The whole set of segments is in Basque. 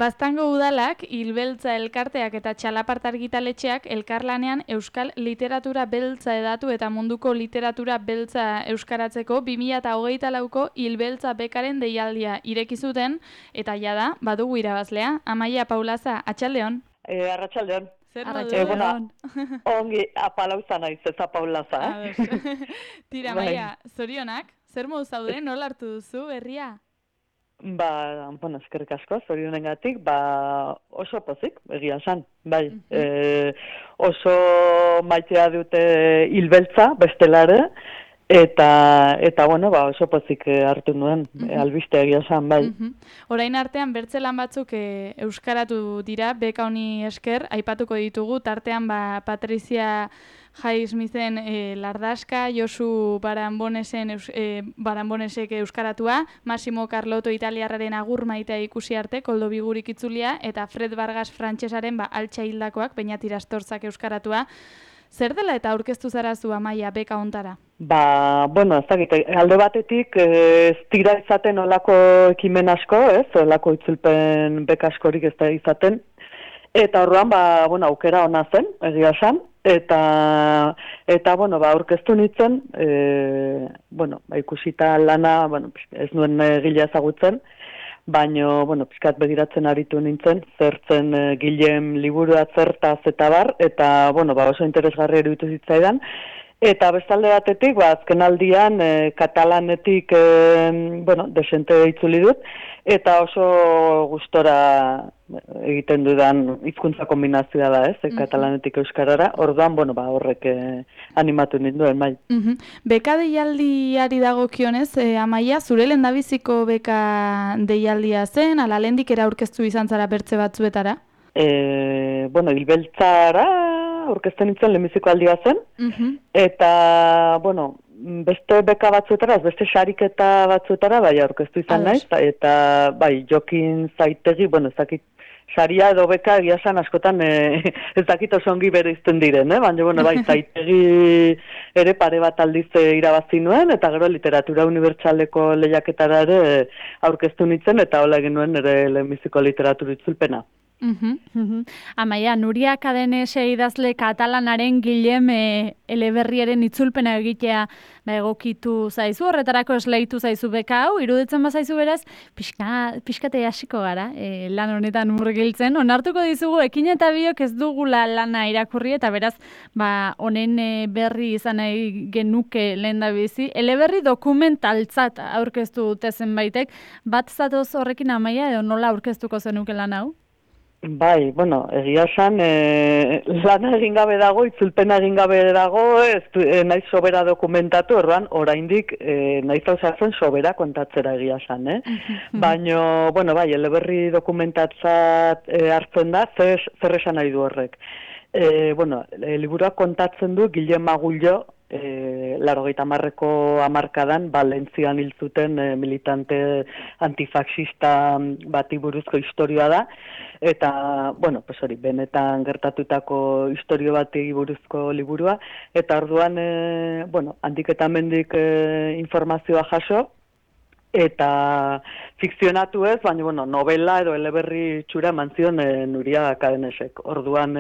Baztango udalak, Hilbeltza elkarteak eta Txalapart argitaletxeak elkarlanean euskal literatura beltza hedatu eta munduko literatura beltza euskaratzeko 2024ko Hilbeltza bekaren deialdia ireki zuten eta jada badugu irabazlea. Amaia Paulaza, atxaldeon. Arratsaldeon. Zer Arratsaldeon. Ongi apalauza naiz, ez Paulaza, Tira, Amaia, zorionak, zer modu zaude, nola hartu duzu berria? Eskerrik asko, zorionengatik, oso pozik, egia esan, bai. Oso maitea dute Hilbeltza, bestelare, eta oso pozik hartu nuen, albiste egia esan, bai. Orain artean bertzelan batzuk euskaratu dira, beka honi esker, aipatuko ditugu, tartean Patrizia Highsmithen Lardaska, Josu Baranbonesek euskaratua, Massimo Carlotto italiarraren Agur maitea ikusi arte, Koldo Bigurik itzulia, eta Fred Vargas frantsesaren Altxa hildakoak, Beñat Irastorzak euskaratua. Zer dela eta aurkeztu zara zu, Amaia, beka hontara? Ez dakit, alde batetik ez dira izaten olako ekimen asko, olako itzulpen beka askorik ez da izaten, eta orduan, aukera ona zen, egia esan, eta aurkeztu nintzen, ikusita lana, ez nuen egilea ezagutzen, baina, pixkat begiratzen aritu nintzen, zertzen Gilem liburua zertaz eta bar, eta, oso interesgarri eruditu zitzaidan, eta bestalde batetik, azken aldian, katalanetik, desente itzuli dut, eta oso gustora egiten dudan hizkuntza kombinazioa da, katalanetik euskarara, orduan, horrek animatu ninduen, bai. Beka deialdiari dagokionez, Amaia, zure lehendabiziko beka deialdia zen, ala lehendik aurkeztu izan zara bertze batzuetara? Hilbeltzara aurkezten nintzen lehenbiziko aldia zen, eta, beste beka batzuetara, beste sariketa batzuetara, aurkeztu izan naiz, eta, Jokin Zaitegi, ez dakit, saria edo beka egia esan askotan ez dakit oso ongi bereizten diren, baina, Zaitegi ere pare bat aldiz irabazi nuen, eta gero literatura unibertsaleko lehiaketara ere aurkeztu nintzen, eta hola egin nuen ere lehenbiziko literatura itzulpena. Amaia, Nuria Cadenese idazle katalanaren Gilem eleberriaren itzulpena egitea egokitu zaizu, horretarako esleitu zaizu beka hau, iruditzen bazaizu beraz, pixkate hasiko gara, lan honetan murgiltzen, onartuko dizugu, ekin eta biok ez dugula lana irakurri, eta beraz, honen berri izan nahi genuke lehendabizi, eleberri dokumentaltzat aurkeztu dute zenbaitek, bat zatoz horrekin, Amaia, edo nola aurkeztuko zenuke lan hau? Bai, egia esan, lana egin gabe dago, itzulpena egin gabe dago, naiz sobera dokumentatu, oraindik naiz hausatzen sobera kontatzera egia esan, Baina, eleberri dokumentatzat hartzen da, zer esan nahi du horrek. Liburuak kontatzen du Gilem Magullo, 80ko hamarkadan Valentzian hil zuten militante antifaxista bati buruzko istorioa da, eta, benetan gertatutako istorio bati buruzko liburua, eta orduan, handik eta mendik informazioa jaso, eta fikzionatu ez, baina, novela edo eleberri txura eman zion Nuria Cadenesek. Orduan,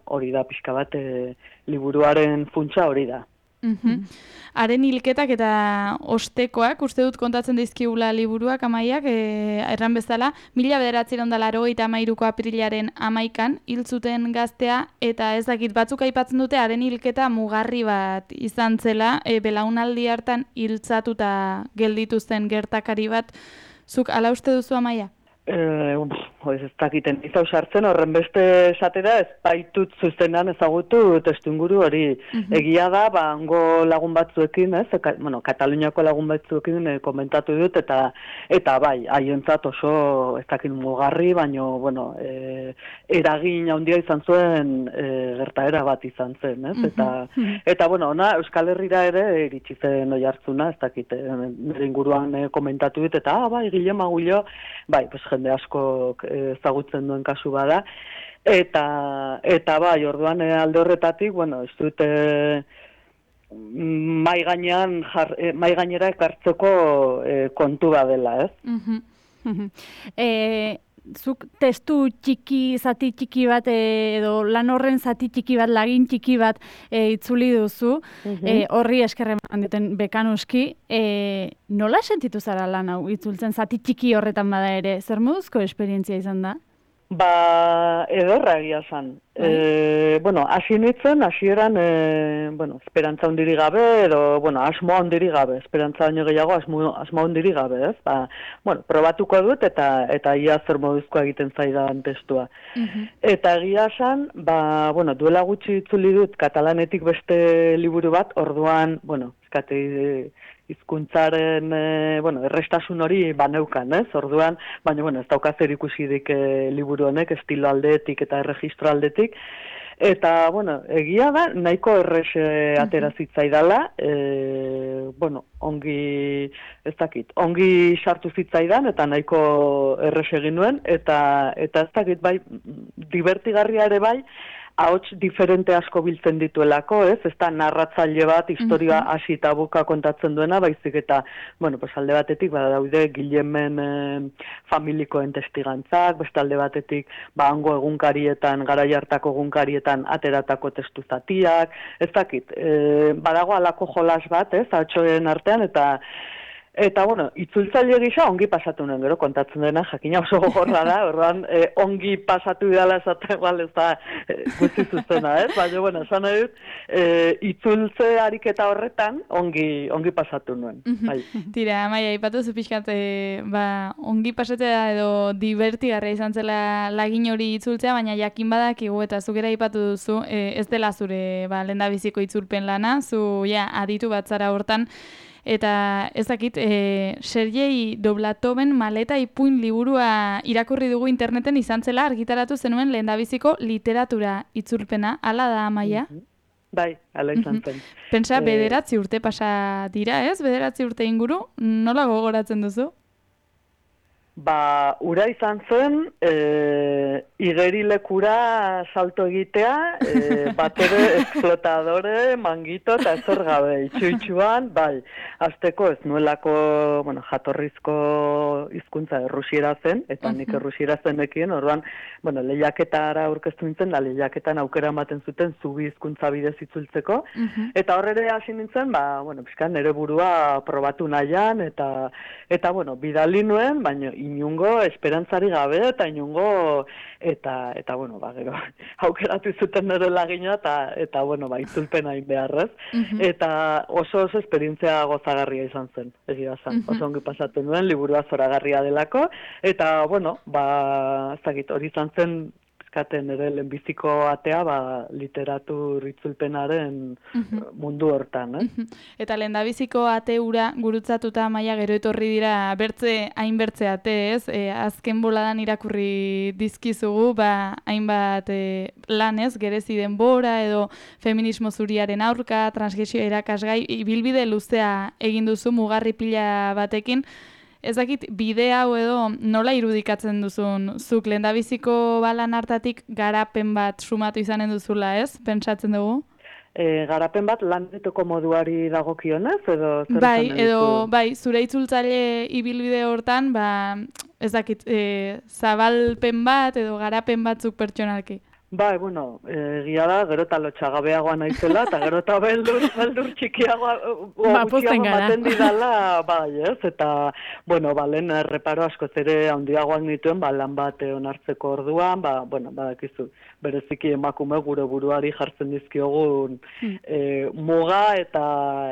hori da pixka bat, liburuaren funtsa hori da. Haren hilketak eta ostekoak, uste dut kontatzen dizkigula liburuak, Amaiak, erran bezala, 1983ko aprilaren 11an hil zuten gaztea, eta ez dakit batzuk aipatzen dute haren hilketa mugarri bat izan zela, belaunaldi hartan hiltzatuta gelditu zen gertakari bat. Zuk ala uste duzu, Amaia? Ez dakiten izau sartzen, horren beste esatera ez baitut zuzenean ezagutu testuinguru hori. Egia da, hango lagun batzuekin, Kataluniako lagun batzuekin komentatu dut, eta bai, haientzat oso ez dakit mugarri, baina, eragin handia izan zuen gertaera bat izan zen, Eta, ona, Euskal Herrira ere iritsi zen oihartzuna, ez dakit, nire inguruan komentatu dut, eta, Gilem Magullo, jende asko ezagutzen duen kasu bada, eta bai, orduan alde horretatik, ez dut mai gainera ekartzeko kontu badela, ez? zuk testu zati txiki bat, edo lan horren zati txiki bat, lagin txiki bat itzuli duzu, horri eskerre eman duten bekanuski, nola sentitu zara lan hau itzultzen zati txiki horretan bada ere? Zer moduzko esperientzia izan da? Ba, ederra egia zan. Bueno, hasi nintzen, hasieran, esperantza ondiri gabe, edo, asmoa ondiri gabe, esperantza baino gehiago asmoa ondiri gabe, ez? Ba, probatuko dut eta ia zer moduzkoa egiten zaidan testua. Eta egia zan, duela gutxi itzuli dut katalanetik beste liburu bat, orduan, hizkuntzaren errestasun hori baneukan, ez? Orduan, baina ez dauka zer ikusirik liburu honek, estilo aldetik eta erregistro aldetik. Eta, egia da, nahiko errex atera zitzaidala, ongi sartu zitzaidan, eta nahiko errex egin nuen, eta ez dakit, bai, divertigarria ere bai, ahots diferente asko biltzen dituelako, ez? Ez da narratzaile bat, historia hasi eta buka kontatzen duena, baizik eta, alde batetik, daude Guillemen familikoen testigantzak, beste alde batetik, hango egunkarietan, garai hartako egunkarietan ateratako testu zatiak, ez dakit, badago alako jolas bat, ez? Ahotsoen artean, Eta, itzultzaile gisa ongi pasatu nuen, gero, kontatzen dena, jakina oso gogorra da, orduan, ongi pasatu dela esaten, ez da guzti zuzena, ez? Baina, esan nahi dut, itzultze ariketa horretan ongi pasatu nuen. Bai. Tira, Amaia, ipatu zu pixkat, ongi pasatzea edo divertigarria izan zela lagin hori itzultzea, baina jakin badakigu eta zukera ipatu duzu, ez dela zure lehendabiziko itzulpen lana, zu aditu bat zara hortan, eta ez dakit, Sergei Doblatoven Maleta ipuin liburua irakurri dugu interneten izan zela argitaratu zenuen lehendabiziko literatura itzulpena. Hala da, Amaia? Bai, hala izan zen. Pentsa, 9 urte pasa dira, ez? 9 urte inguru, nola gogoratzen duzu? Ura izan zen, igerilekura salto egitea, bat ere explotadore, mangito eta ezer gabe, itxu-itxuan, bai, azteko ez nuelako, jatorrizko hizkuntza errusiera zen, eta nik errusiera zenekien, orduan, lehiaketara aurkeztu nintzen, da lehiaketan aukera ematen zuten zubi hizkuntza bidez itzultzeko, eta horre hasi nintzen, pixkan nere burua probatu nahian, eta bidali nuen, baina inungo esperantzari gabe eta inungo gero aukeratu zuten nire lagina eta itzulpen hain beharrez. Eta oso esperientzia gozagarria izan zen, egia zen. Oso ongi pasatu nuen, liburua zoragarria delako, eta ez dakit, hori izan zen eskaten ere lehenbiziko atea literatur itzulpenaren mundu hortan. Eta lehendabiziko ate hura gurutzatuta Amaia gero etorri dira hainbertze ate, ez? Azken boladan irakurri dizkizugu, hainbat lanez, gerezi denbora edo feminismo zuriaren aurka, transgresio erakasgai, ibilbide luzea egin duzu mugarri pila batekin. Ez dakit, bide hau edo nola irudikatzen duzun, zuk lehendabiziko balan hartatik garapen bat sumatu izanen duzula, ez? Pentsatzen dugu? Garapen bat lanetoko moduari dagokionez, edo zer izan duzu? Bai, zure itzultzaile ibilbide hortan, ez dakit, zabalpen bat edo garapen batzuk pertsonalki. Bai, egia da, gero eta lotxagabeagoa naizela, eta gero eta beldur txikiagoa gutxiago maten didala, bai, ez? Eta, lehen erreparo askoz ere handiagoak nituen, lan bat onartzeko orduan, badakizu, bereziki emakume gure buruari jartzen dizkiogun muga eta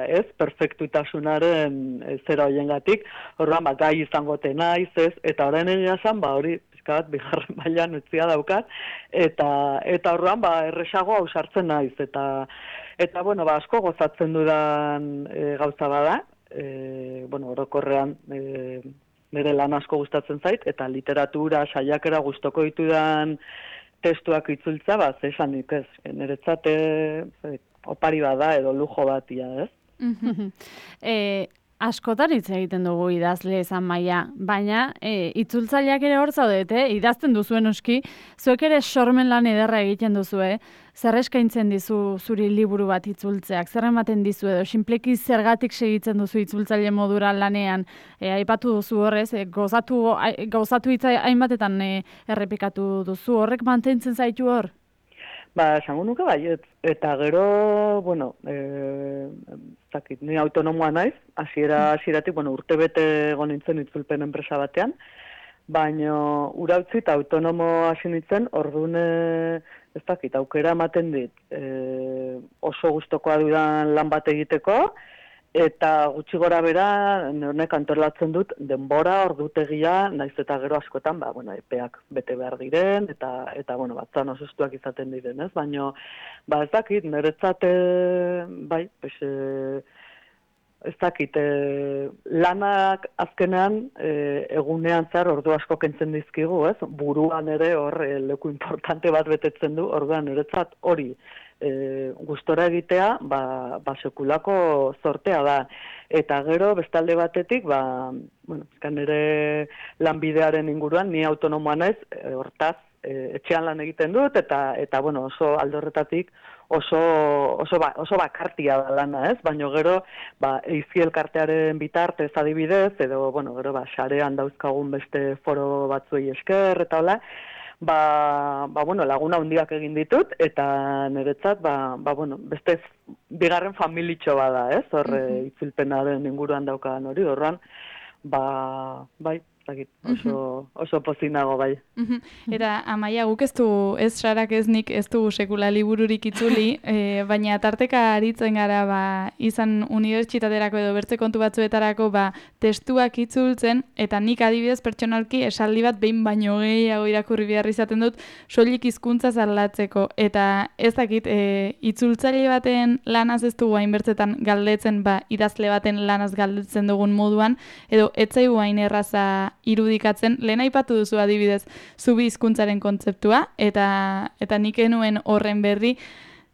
ez, perfektutasunaren zera hoiengatik, orduan, gai izangote naiz, ez? Eta orain egia zan, hori, bigarren mailan utzia daukat, eta orduan erresago ausartzen naiz, eta asko gozatzen dudan gauza bada, orokorrean nire lan asko gustatzen zait, eta literatura, saiakera gustoko ditudan testuak itzultza, zesanik ez, niretzat opari bada edo lujo batia, ez? askotan hitz egiten dugu idazle izan maila, baina itzultzaileak ere hor zaudete, idazten duzuen oski, zuek ere sormen lan ederra egiten duzue, zer eskaintzen dizu zuri liburu bat itzultzeak, zer ematen dizu edo, sinpleki zergatik segitzen duzu itzultzaile modura lanean, aipatu duzu horrez, gauzatu hitza hainbatetan errepikatu duzu, horrek mantentzen zaitu hor? Ba, esango nuke baiet, eta gero, bueno, zakit, ni autonomoa naiz, hasieratik, bueno, urtebete egon nintzen itzulpen enpresa batean, baina ura utzi eta autonomo hasi nintzen, orduan, ez dakit, aukera ematen dit, oso gustokoa dudan lan bat egiteko, eta gutxi gora bera, honek antolatzen dut, denbora, ordutegia, naiz eta gero askotan, ba, bueno, epeak bete behar diren, eta bueno, batzan osustuak izaten diren, ez? Baina, ba, ez dakit, niretzat, bai, pues, ez dakit, lanak azkenean, egunean zehar ordu asko kentzen dizkigu, ez? Buruan ere hor leku importante bat betetzen du, orduan niretzat hori, gustora egitea, ba sekulako zortea da. Eta gero, bestalde batetik, ba, bueno, nire lanbidearen inguruan, ni autonomoa naiz, hortaz, etxean lan egiten dut, eta bueno, oso alde horretatik oso bakartia da lana, ez? Baina gero, ba, eizi elkartearen bitartez adibidez, edo, bueno, gero, ba, sarean dauzkagun beste foro batzuei esker, eta hola, bueno, laguna handiak egin ditut, eta niretzat, bueno, beste bigarren familitxo bada, ez? Hor, itzulpenaren inguruan daukadan hori, horran, bai, oso pozinago bai. Eta Amaia, guk ez Sarak ez nik ez du sekula libururik itzuli, baina tarteka aritzen gara izan unibertsitaterako edo bertze kontu batzuetarako testuak itzultzen, eta nik adibidez pertsonalki esaldi bat behin baino gehiago irakurri behar izaten dut soilik hizkuntza aldatzeko, eta ez dakit itzultzaile baten lanaz ez dugu hainbertzetan galdetzen idazle baten lanaz galdetzen dugun moduan, edo ez zaigu hain erraza irudikatzen, lehen aipatu duzu adibidez zubi hizkuntzaren kontzeptua, eta nik enuen horren berri,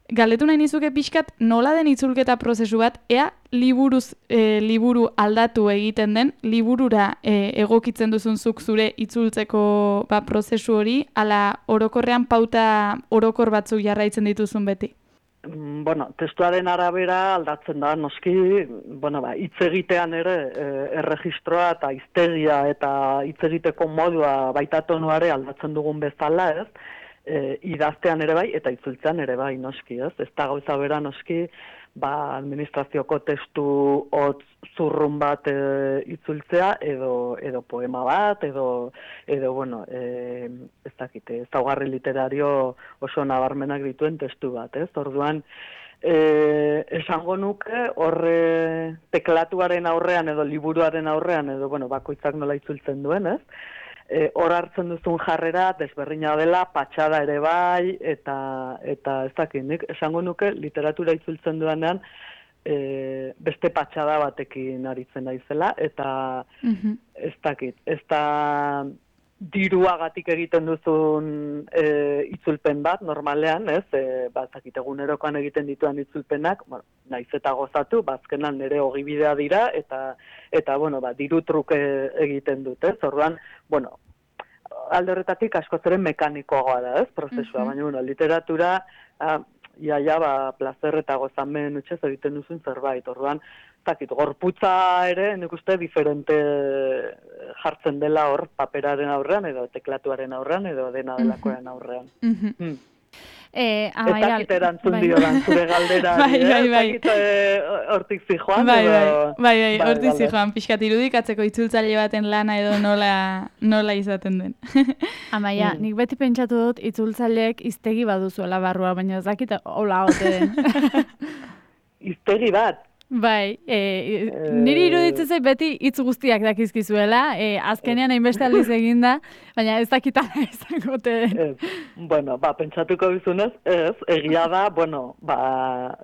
galdetu nahi nizuke pixkat nola den itzulketa prozesu bat, ea liburu aldatu egiten den, liburura egokitzen duzun zuk zure itzultzeko prozesu hori, ala orokorrean pauta orokor batzuk jarraitzen dituzun beti? Bueno, testuaren arabera aldatzen da, noski, bueno, hitz egitean ere erregistroa eta hiztegia eta hitz egiteko modua baita tonuare aldatzen dugun bezala, ez? Idaztean ere bai eta itzultzean ere bai, noski, ez? Ez da gauza bera, noski, administrazioko testu hotz zurrun bat itzultzea edo poema bat edo bueno, ez dakite, ezaugarri literario oso nabarmenak dituen testu bat, ez? Orduan, esango nuke horre teklatuaren aurrean edo liburuaren aurrean edo bueno, bakoitzak nola itzultzen duen, ez? Hor hartzen duzun jarrera desberdina dela, patxada ere bai, eta ez dakit, nik esango nuke literatura itzultzen duenean beste patxada batekin aritzen naizela, eta ez dakit, ez da diruagatik egiten duzun itzulpen bat, normalean, ez? Ez dakit, egunerokoan egiten dituen itzulpenak, bueno, naiz eta gozatu, azkenan nire ogibidea dira, eta bueno, diru truke egiten dut, ez? Orduan, bueno, alde horretatik askoz ere mekanikoagoa da, ez? Prozesua, baina, bueno, literatura, plazer eta gozamen utxez egiten duzun zerbait, orduan, zakit, gorputza ere, nik uste, diferente jartzen dela hor paperaren aurrean, edo teklatuaren aurrean, edo dena delakoaren aurrean. Ez dakit erantzun diodan zure galdera, ez dakit hortik zijoan. Bai, hortik zijoan, pixkat irudikatzeko itzultzaile baten lana edo nola izaten den. Amaia, nik beti pentsatu dut itzultzaileek hiztegi baduzuela barrua, baina ez dakit hola ote den. Hiztegi bat? Bai, niri iruditzen zait beti hitz guztiak dakizkizuela, azkenean hainbeste aldiz eginda, baina ez dakitala izango te. Bueno, pentsatuko bizunez, ez, egia da, bueno,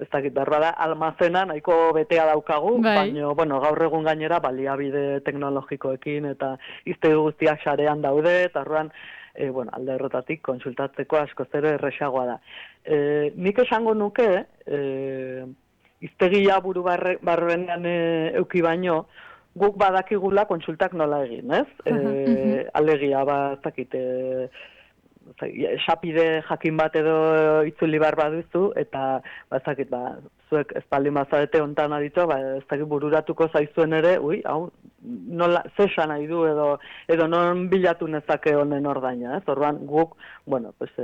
ez dakit berba da, almazena nahiko betea daukagu, baina, bueno, gaur egun gainera baliabide teknologikoekin eta hiztegi guztiak sarean daude, eta orduan, bueno, alde horretatik konsultatzeko askoz ere erresagoa da. Nik esango nuke, iztegia buru barrenean euki baino, guk badakigula kontsultak nola egin, ez? Alegia, ez dakit, esapide jakin bat edo itzuli bar baduzu, eta ez dakit, zuek espaldi mazarete ontan aditu, ez dakit bururatuko zaizuen ere, hau, nola, zesan nahi du edo non bilatu nezake honen ordaina, ez? Orduan guk, bueno, pues,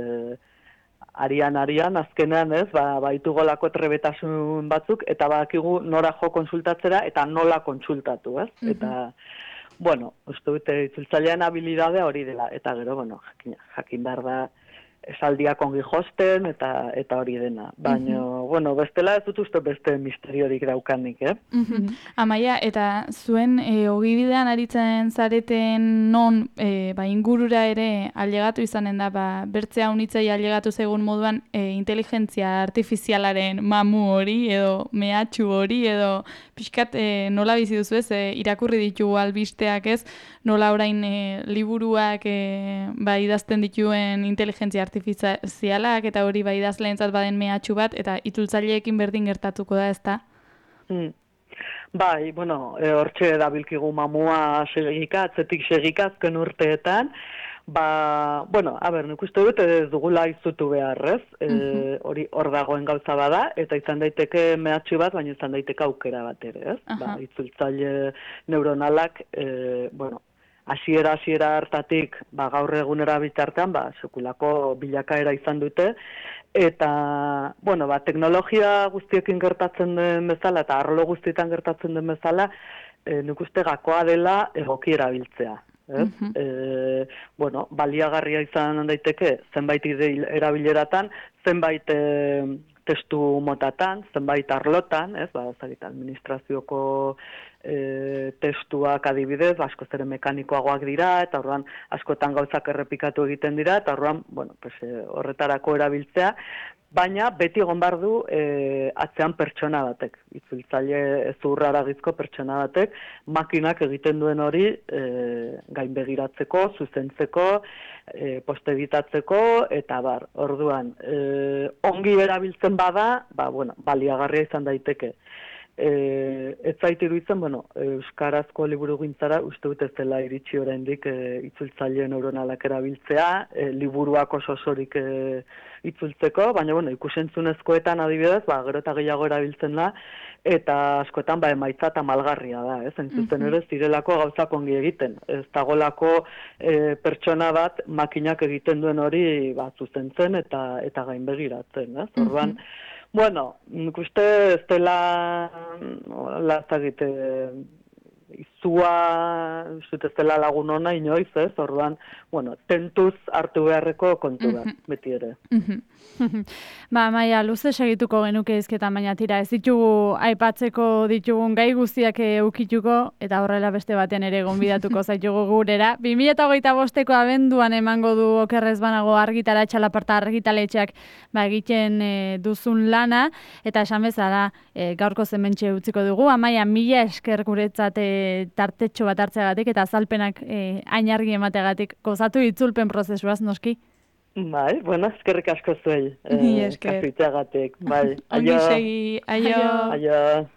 arian, azkenean, ez, baitugolako trebetasun batzuk, eta badakigu nora jo konsultatzera, eta nola kontsultatu, ez? Eta, bueno, uste dute itzultzailean habilidadea hori dela, eta gero, bueno, jakin behar da, esaldiak ongi josten, eta hori dena. Baina, bueno, bestela ez dut uste beste misteriorik daukanik, Amaia, eta zuen ogibidean aritzen zareten non ingurura ere ailegatu izanen da, bertze haunitzei ailegatu zegun moduan inteligentzia artifizialaren mamu hori, edo mehatxu hori, edo pixkat nola bizi duzu ez, irakurri ditugu albisteak ez, nola orain liburuak idazten dituen inteligentzia artifizialak, eta hori idazleentzat baden mehatxu bat, eta itzultzaileekin berdin gertatuko da, ezta? Bai, bueno, hortxe dabilkigu mamua segika, atzetik segika azken urteetan, bueno, nik uste dut ez dugula izutu beharrez, hori hor dagoen gauza bada, eta izan daiteke mehatxu bat, baina izan daiteke aukera bat ere, ez? Itzultzaile neuronalak, bueno, hasiera hartatik, gaur egunera bitartean, sekulako bilakaera izan dute, eta, bueno, teknologia guztiekin gertatzen den bezala, eta arlo guztietan gertatzen den bezala, nik uste gakoa dela egoki erabiltzea. Bueno, baliagarria izan daiteke, zenbait erabileratan, zenbait testu motatan, zenbait arlotan, administrazioko testuak adibidez, askoz ere mekanikoagoak dira, eta orduan askotan gauzak errepikatu egiten dira, eta orduan, bueno, horretarako erabiltzea, baina beti egon behar du atzean pertsona batek, itzultzaile zurraragizko pertsona batek, makinak egiten duen hori gainbegiratzeko, zuzentzeko, postebitatzeko, eta orduan, ongi erabiltzen bada, bueno, baliagarria izan daiteke. Ez zait iruditzen, bueno, euskarazko liburugintzara uste dut ez dela iritsi oraindik itzultzaile neuronalak erabiltzea, liburuak osorik itzultzeko, baina bueno, ikusentzunezkoetan adibidez, gero eta gehiago erabiltzen da, eta askotan emaitza eta malgarria da, zuzen ere zirelako gauzak ongi egiten. Ez dagolako pertsona bat makinak egiten duen hori zuzentzen eta gainbegiratzen, orduan, bueno, nik uste ez dela lazagite izua, ez dela lagun ona inoiz, orduan, bueno, tentuz hartu beharreko kontu da, beti ere. Maia, luze segituko genuke izketan, baina tira, ez ditugu aipatzeko ditugun gai guztiak eukituko, eta horrela beste batean ere gonbidatuko zaitugu gurera. 2025ko abenduan emango du okerrez banago argitara txalaparta argitaletxeak egiten duzun lana, eta esan bezala gaurko zementxe utziko dugu. Amaia, mila esker guretzat tartetxo bat hartzeagatik eta azalpenak ainargi emateagatik gozatu itzulpen prozesuaz, noski? Bai, bueno, eskerrik asko zuei. Esker. Kasuitzeagatik, bai. Ongi segi, aio. Aio.